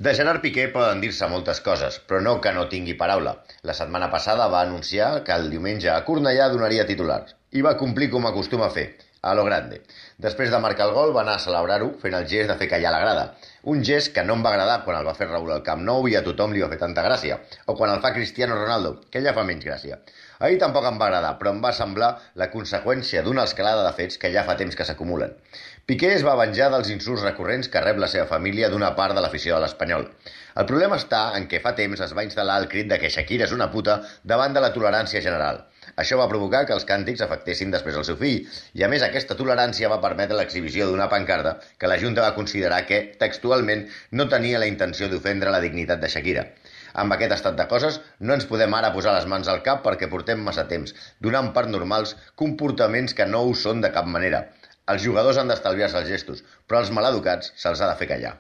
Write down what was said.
De Gerard Piqué poden dir-se moltes coses, però no que no tingui paraula. La setmana passada va anunciar que el diumenge a Cornellà donaria titulars, i va complir com acostuma a fer, a lo grande. Després de marcar el gol va anar a celebrar-ho fent el gest de fer callar la grada. Un gest que no em va agradar quan el va fer Raúl al Camp Nou i a tothom li va fer tanta gràcia, o quan el fa Cristiano Ronaldo, que ja fa menys gràcia. Ahir tampoc em va agradar, però em va semblar la conseqüència d'una escalada de fets que ja fa temps que s'acumulen. Piqué es va venjar dels insults recurrents que rep la seva família d'una part de l'afició de l'Espanyol. El problema està en què fa temps es va instal·lar el crit de que Shakira és una puta davant de la tolerància general. Això va provocar que els càntics afectessin després el seu fill, i a més aquesta tolerància va permetre l'exhibició d'una pancarta que la Junta va considerar que, textualment, no tenia la intenció d'ofendre la dignitat de Shakira. Amb aquest estat de coses, no ens podem ara posar les mans al cap perquè portem massa temps, donant per normals comportaments que no ho són de cap manera. Els jugadors han d'estalviar-se els gestos, però als maleducats se'ls ha de fer callar.